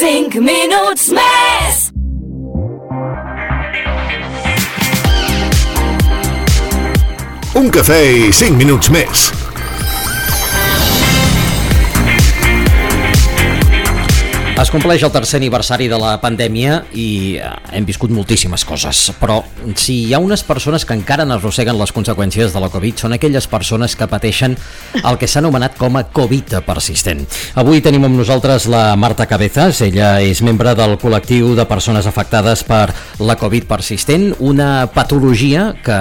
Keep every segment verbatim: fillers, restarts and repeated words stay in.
cinc minuts més. Un cafè i cinc minuts més. Es compleix el tercer aniversari de la pandèmia i hem viscut moltíssimes coses, però si hi ha unes persones que encara n'arrosseguen les conseqüències de la Covid són aquelles persones que pateixen el que s'ha anomenat com a Covid persistent. Avui tenim amb nosaltres la Marta Cabezas, ella és membre del col·lectiu de persones afectades per la Covid persistent, una patologia que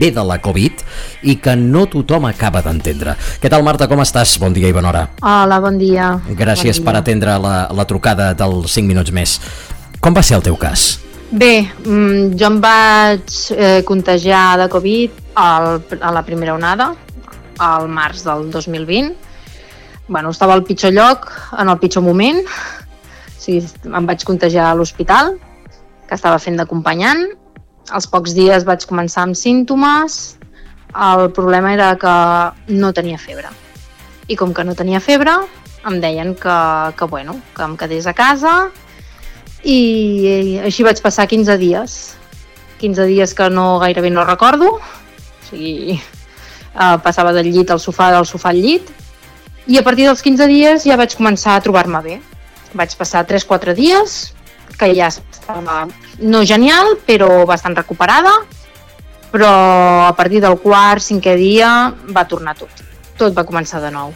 ve de la Covid i que no tothom acaba d'entendre. Què tal, Marta, com estàs? Bon dia i bona hora. Hola, bon dia. Gràcies bon dia. per atendre la, la trucada dels cinc minuts més. Com va ser el teu cas? Bé, jo em vaig eh, contagiar de Covid al, a la primera onada, al març del dos mil vint. Bueno, estava al pitjor lloc, en el pitjor moment. O sigui, em vaig contagiar a l'hospital, que estava fent d'acompanyant. Als pocs dies vaig començar amb símptomes. El problema era que no tenia febre. I com que no tenia febre, em deien que, que, bueno, que em quedés a casa i, i així vaig passar quinze dies. quinze dies que no gairebé no recordo. O sigui, eh, passava del llit al sofà, del sofà al llit. I a partir dels quinze dies ja vaig començar a trobar-me bé. Vaig passar tres quatre dies, que ja estava no genial, però bastant recuperada. Però a partir del quart, cinquè dia va tornar tot. Tot va començar de nou.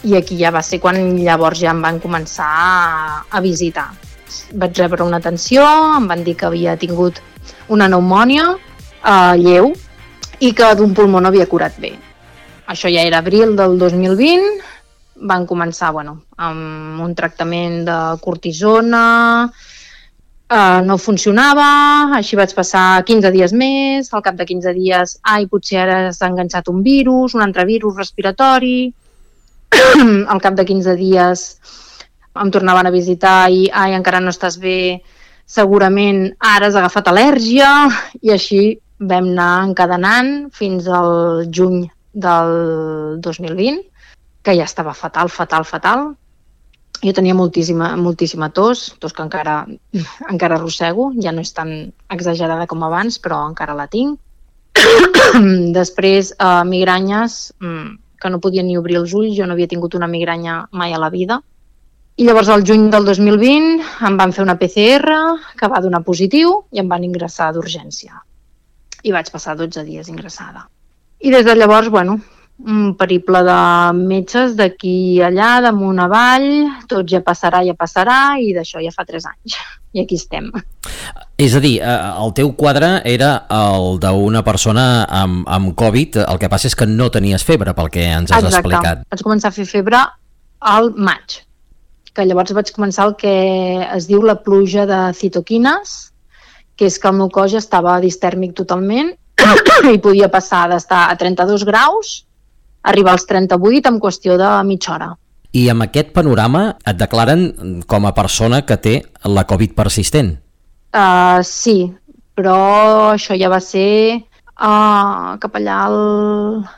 I aquí ja va ser quan llavors ja em van començar a, a visitar. Vaig rebre una atenció, em van dir que havia tingut una pneumònia eh, lleu i que d'un pulmó no havia curat bé. Això ja era abril del dos mil vint, van començar bueno, amb un tractament de cortisona, eh, no funcionava, així vaig passar quinze dies més, al cap de quinze dies, ai, potser ara s'ha enganxat un virus, un altre virus respiratori. Al cap de quinze dies em tornaven a visitar i ai, encara no estàs bé, segurament ara has agafat al·lèrgia, i així vam anar encadenant fins al juny del dos mil vint, que ja estava fatal, fatal, fatal. Jo tenia moltíssima, moltíssima tos, tos que encara, encara arrossego, ja no és tan exagerada com abans, però encara la tinc. Després, eh, migranyes, que no podia ni obrir els ulls, jo no havia tingut una migranya mai a la vida. I llavors al juny del dos mil vint em van fer una P C R que va donar positiu i em van ingressar d'urgència. I vaig passar dotze dies ingressada. I des de llavors, bueno, un periple de metges d'aquí i allà, damunt avall, tot ja passarà, ja passarà, i d'això ja fa tres anys. I aquí estem. És a dir, el teu quadre era el d'una persona amb, amb Covid, el que passa és que no tenies febre, pel que ens has Exacte. explicat. Vaig començar a fer febre al maig, que llavors vaig començar el que es diu la pluja de citoquines, que és que el meu cos ja estava distèrmic totalment i podia passar d'estar a trenta-dos graus a arribar als trenta-vuit en qüestió de mitja hora. I amb aquest panorama et declaren com a persona que té la Covid persistent? Uh, sí, però això ja va ser uh, cap allà al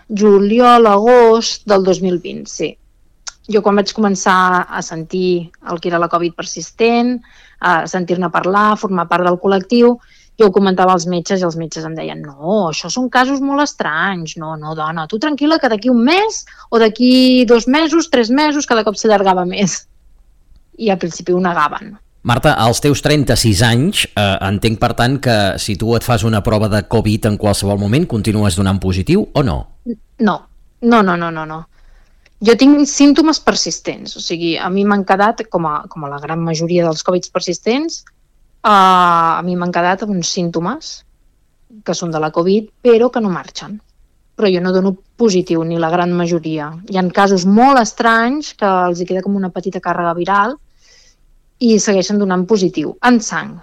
juliol, agost del dos mil vint, sí. Jo quan vaig començar a sentir el que era la Covid persistent, a sentir-ne parlar, formar part del col·lectiu, jo ho comentava als metges i els metges em deien no, això són casos molt estranys, no, no, dona, tu tranquil·la que d'aquí un mes o d'aquí dos mesos, tres mesos, cada cop s'allargava més. I al principi ho negaven. Marta, als teus trenta-sis anys, eh, entenc per tant que si tu et fas una prova de Covid en qualsevol moment, continues donant positiu o no? No, no, no, no, no. no. Jo tinc símptomes persistents, o sigui, a mi m'han quedat, com a, com a la gran majoria dels Covids persistents, Uh, a mi m'han quedat uns símptomes que són de la Covid, però que no marxen. Però jo no dono positiu, ni la gran majoria. Hi ha casos molt estranys que els hi queda com una petita càrrega viral i segueixen donant positiu, en sang,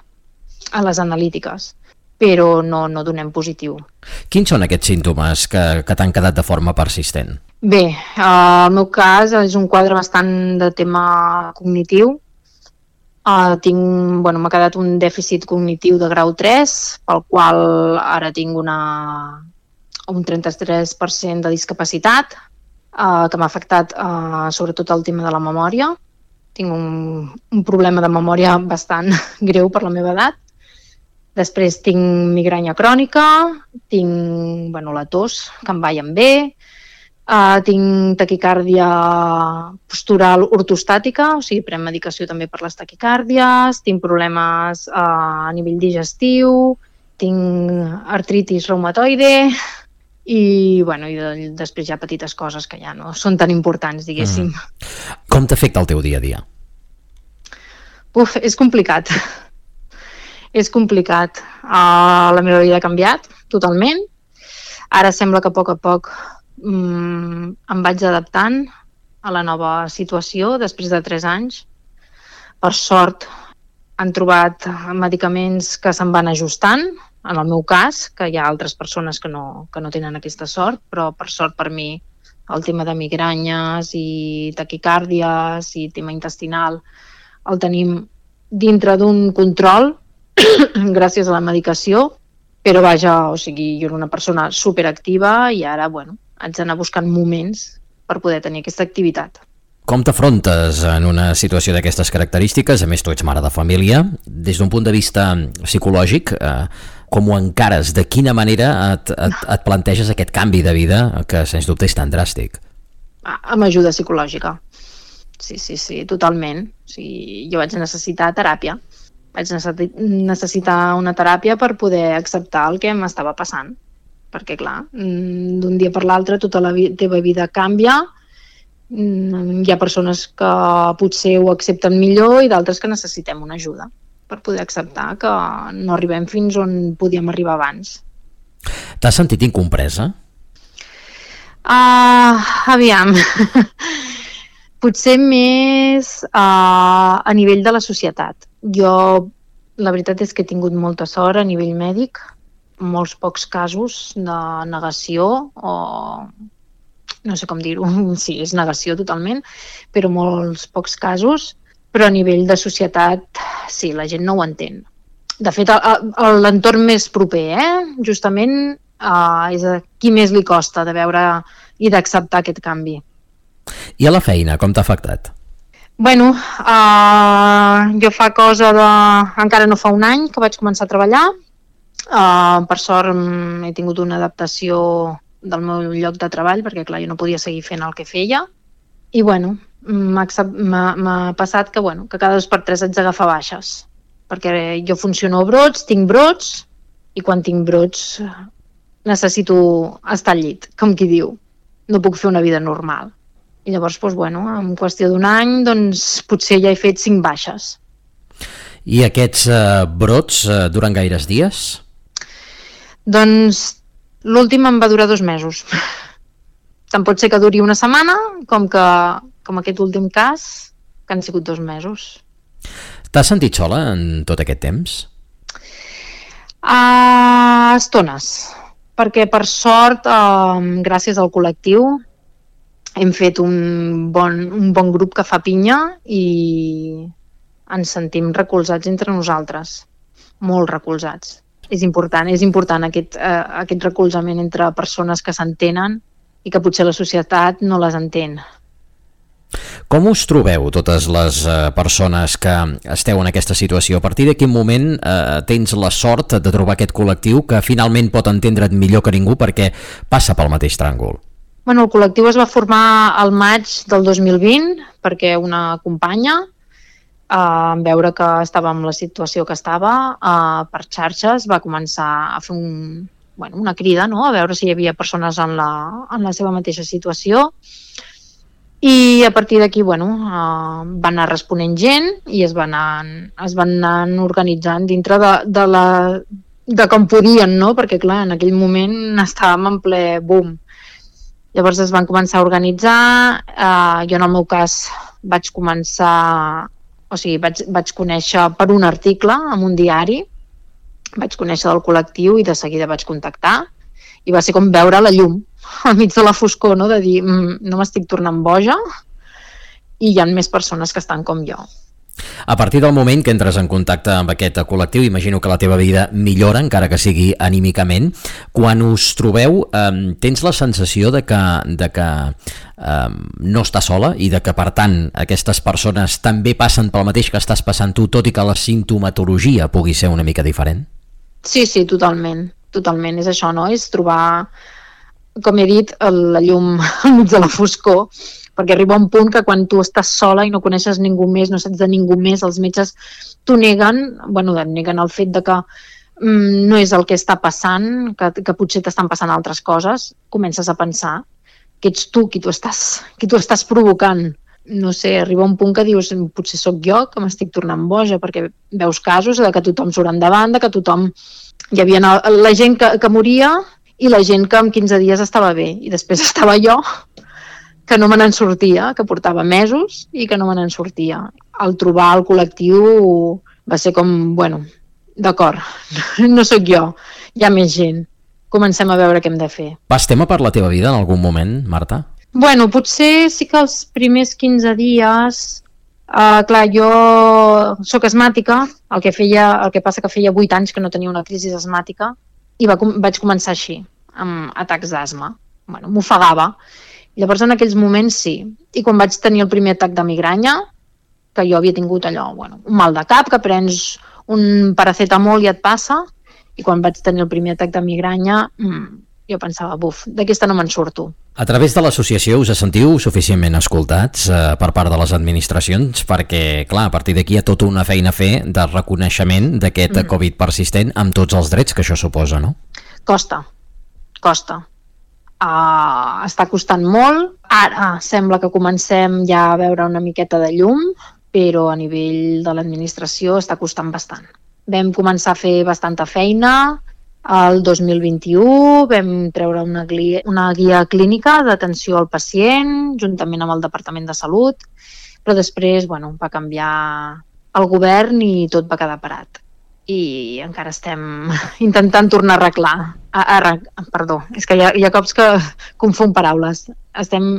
a les analítiques, però no, no donem positiu. Quins són aquests símptomes que, que t'han quedat de forma persistent? Bé, uh, el meu cas és un quadre bastant de tema cognitiu. Uh, tinc, bueno, m'ha quedat un dèficit cognitiu de grau tres, pel qual ara tinc una, un trenta-tres per cent de discapacitat, uh, que m'ha afectat uh, sobretot el tema de la memòria. tinc un, un problema de memòria bastant greu per la meva edat. Després tinc migranya crònica, tinc bueno, la tos, que em va i em ve, uh, tinc taquicàrdia postural ortostàtica, o sigui, prenc medicació també per les taquicàrdies, tinc problemes uh, a nivell digestiu, tinc artritis reumatoide i, bueno, i de, després hi ha petites coses que ja no són tan importants, diguéssim. Mm. Com t'afecta el teu dia a dia? Uf, és complicat. És complicat. Uh, la meva vida ha canviat totalment. Ara sembla que a poc a poc um, em vaig adaptant a la nova situació després de tres anys. Per sort han trobat medicaments que se'n van ajustant, en el meu cas, que hi ha altres persones que no, que no tenen aquesta sort, però per sort per mi el tema de migranyes i taquicàrdies i tema intestinal el tenim dintre d'un control gràcies a la medicació, però vaja, o sigui, jo era una persona superactiva i ara, bueno, haig d'anar buscant moments per poder tenir aquesta activitat. Com t'afrontes en una situació d'aquestes característiques? A més, tu ets mare de família. Des d'un punt de vista psicològic, eh, com ho encares? De quina manera et, et, et planteges aquest canvi de vida que, sens dubte, és tan dràstic? Amb ajuda psicològica. Sí, sí, sí, totalment. O sigui, jo vaig necessitar teràpia. Vaig necessitar una teràpia per poder acceptar el que m'estava passant. Perquè, clar, d'un dia per l'altre tota la vi- teva vida canvia. Hi ha persones que potser ho accepten millor i d'altres que necessitem una ajuda per poder acceptar que no arribem fins on podíem arribar abans. T'has sentit incompresa? Uh, aviam... Potser més uh, a nivell de la societat. Jo, la veritat és que he tingut molta sort a nivell mèdic, molts pocs casos de negació o no sé com dir-ho, sí, és negació totalment, però molts pocs casos, però a nivell de societat sí, la gent no ho entén. De fet, l'entorn més proper, eh, justament, uh, és a qui més li costa de veure i d'acceptar aquest canvi. I a la feina, com t'ha afectat? Bueno, uh, jo fa cosa de... encara no fa un any que vaig començar a treballar. Uh, per sort he tingut una adaptació del meu lloc de treball, perquè clar, jo no podia seguir fent el que feia. I bueno, m'ha passat que, bueno, que cada dos per tres haig d'agafar baixes. Perquè jo funciono a brots, tinc brots, i quan tinc brots necessito estar al llit, com qui diu. No puc fer una vida normal. I llavors, doncs, bueno, en qüestió d'un any, doncs, potser ja he fet cinc baixes. I aquests eh, brots eh, duren gaires dies? Doncs l'últim em va durar dos mesos. Tant pot ser que duri una setmana, com que com aquest últim cas, que han sigut dos mesos. T'has sentit sola en tot aquest temps? A estones, perquè per sort, eh, gràcies al col·lectiu, hem fet un bon, un bon grup que fa pinya i ens sentim recolzats entre nosaltres, molt recolzats. És important, és important aquest, eh, aquest recolzament entre persones que s'entenen i que potser la societat no les entén. Com us trobeu, totes les eh, persones que esteu en aquesta situació? A partir de quin moment eh, tens la sort de trobar aquest col·lectiu que finalment pot entendre't millor que ningú perquè passa pel mateix tràngol? Bueno, el col·lectiu es va formar al maig del dos mil vint perquè una companya, eh, en veure que estava en la situació que estava, eh, per xarxes va començar a fer un, bueno, una crida, no?, a veure si hi havia persones en la, en la seva mateixa situació. I a partir d'aquí, bueno, eh, van anar responent gent i es van anar, es van anar organitzant dintre de, de, la, de com podien, no?, perquè clar, en aquell moment estàvem en ple boom. Llavors es van començar a organitzar, eh, jo en el meu cas vaig començar, o sigui, vaig, vaig conèixer per un article en un diari, vaig conèixer del col·lectiu i de seguida vaig contactar i va ser com veure la llum al mig de la foscor, no?, de dir, mm, no m'estic tornant boja i hi ha més persones que estan com jo. A partir del moment que entres en contacte amb aquest col·lectiu, imagino que la teva vida millora, encara que sigui anímicament. Quan us trobeu, eh, tens la sensació de que, de que eh, no estàs sola i de que, per tant, aquestes persones també passen pel mateix que estàs passant tu, tot i que la simptomatologia pugui ser una mica diferent? Sí, sí, totalment. Totalment. És això, no? És trobar, com he dit, la llum al mig de la foscor, perquè arriba un punt que quan tu estàs sola i no coneixes ningú més, no saps de ningú més, els metges t'ho neguen, bueno, neguen el fet de que mm, no és el que està passant, que, que potser t'estan passant altres coses, comences a pensar que ets tu qui t'ho estàs, qui t'ho estàs provocant. No sé, arriba un punt que dius, potser sóc jo que m'estic tornant boja, perquè veus casos de que tothom surt endavant, de que tothom... Hi havia la gent que, que moria i la gent que en quinze dies estava bé, i després estava jo, que no me n'en sortia, que portava mesos i que no me n'en sortia. Al trobar el col·lectiu va ser com, bueno, d'acord, no sóc jo, hi ha més gent, comencem a veure què hem de fer. Vas tema per la teva vida en algun moment, Marta? Bueno, potser sí que els primers quinze dies, uh, clar, jo sóc asmàtica, el que, feia, el que passa que feia vuit anys que no tenia una crisi asmàtica i va, vaig començar així, amb atacs d'asma. Bueno, m'ofegava. Llavors en aquells moments sí, i quan vaig tenir el primer atac de migranya, que jo havia tingut allò, bueno, un mal de cap, que prens un paracetamol i et passa, i quan vaig tenir el primer atac de migranya, mmm, jo pensava, buf, d'aquesta no me'n surto. A través de l'associació us sentiu suficientment escoltats eh, per part de les administracions? Perquè, clar, a partir d'aquí hi ha tota una feina a fer de reconeixement d'aquest mm. Covid persistent amb tots els drets que això suposa, no? Costa, costa. Uh, està costant molt. Ara sembla que comencem ja a veure una miqueta de llum, però a nivell de l'administració està costant bastant. Vam començar a fer bastanta feina el dos mil vint-i-u, vam treure una guia, una guia clínica d'atenció al pacient, juntament amb el Departament de Salut, però després bueno, va canviar el govern i tot va quedar parat. I encara estem intentant tornar a arreglar. A, a, perdó, és que hi ha, hi ha cops que confon paraules. Estem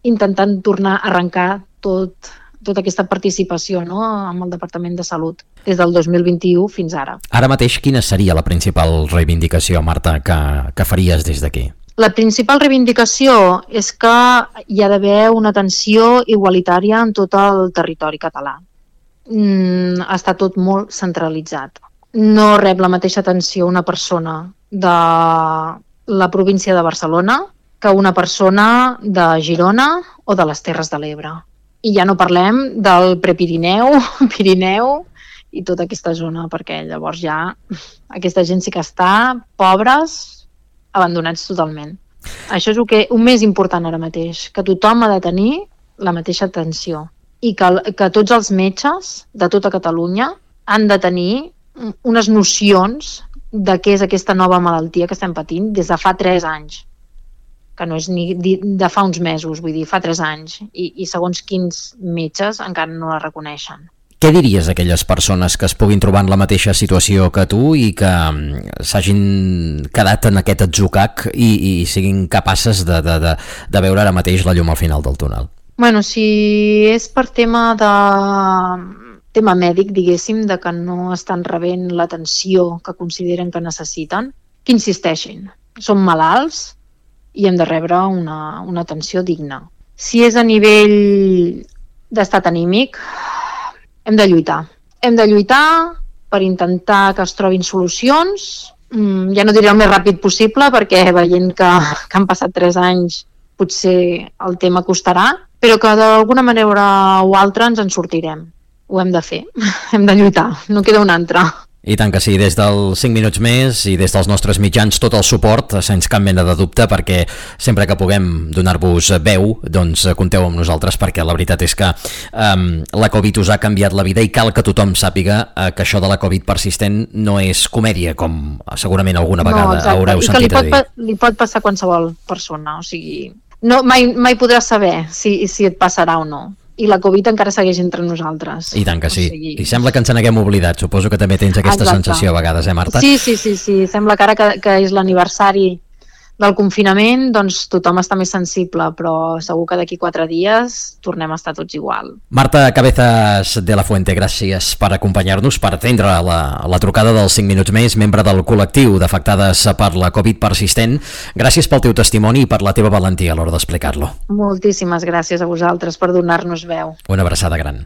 intentant tornar a arrencar tot, tota aquesta participació, no?, amb el Departament de Salut des del dos mil vint-i-u fins ara. Ara mateix, quina seria la principal reivindicació, Marta, que, que faries des d'aquí? La principal reivindicació és que hi ha d'haver una atenció igualitària en tot el territori català. Mm, està tot molt centralitzat. No rep la mateixa atenció una persona de la província de Barcelona que una persona de Girona o de les Terres de l'Ebre. I ja no parlem del Prepirineu, Pirineu i tota aquesta zona, perquè llavors ja aquesta gent sí que està pobres, abandonats totalment. Això és el, que, el més important ara mateix, que tothom ha de tenir la mateixa atenció. I que, que tots els metges de tota Catalunya han de tenir unes nocions de què és aquesta nova malaltia que estem patint des de fa tres anys, que no és ni de fa uns mesos, vull dir, fa tres anys, i, i segons quins metges encara no la reconeixen. Què diries a aquelles persones que es puguin trobar en la mateixa situació que tu i que s'hagin quedat en aquest atzucac i, i siguin capaces de, de, de, de veure ara mateix la llum al final del túnel? Bueno, si és per tema de tema mèdic, diguéssim, de que no estan rebent l'atenció que consideren que necessiten, que insisteixin. Som malalts i hem de rebre una, una atenció digna. Si és a nivell d'estat anímic, hem de lluitar. Hem de lluitar per intentar que es trobin solucions. Ja no diré el més ràpid possible, perquè veient que, que han passat tres anys potser el tema costarà, però que d'alguna manera o altra ens en sortirem. Ho hem de fer, hem de lluitar, no queda un altre. I tant que sí, des dels cinc minuts més i des dels nostres mitjans tot el suport, sense cap mena de dubte, perquè sempre que puguem donar-vos veu, doncs compteu amb nosaltres, perquè la veritat és que um, la Covid us ha canviat la vida i cal que tothom sàpiga uh, que això de la Covid persistent no és comèdia, com segurament alguna vegada no, haureu sentit a dir. I que li pot, li pot passar a qualsevol persona, o sigui, no, mai, mai podràs saber si, si et passarà o no. I la Covid encara segueix entre nosaltres. I tant que sí. O sigui... I sembla que ens n'haguem oblidat. Suposo que també tens aquesta Exacte. sensació a vegades, eh, Marta? Sí, sí, sí, sí. Sembla que ara que, que és l'aniversari del confinament, doncs tothom està més sensible, però segur que d'aquí quatre dies tornem a estar tots igual. Marta Cabezas de la Fuente, gràcies per acompanyar-nos, per atendre la, la trucada dels cinc minuts més, membre del col·lectiu d'afectades per la Covid persistent. Gràcies pel teu testimoni i per la teva valentia a l'hora d'explicar-lo. Moltíssimes gràcies a vosaltres per donar-nos veu. Una abraçada gran.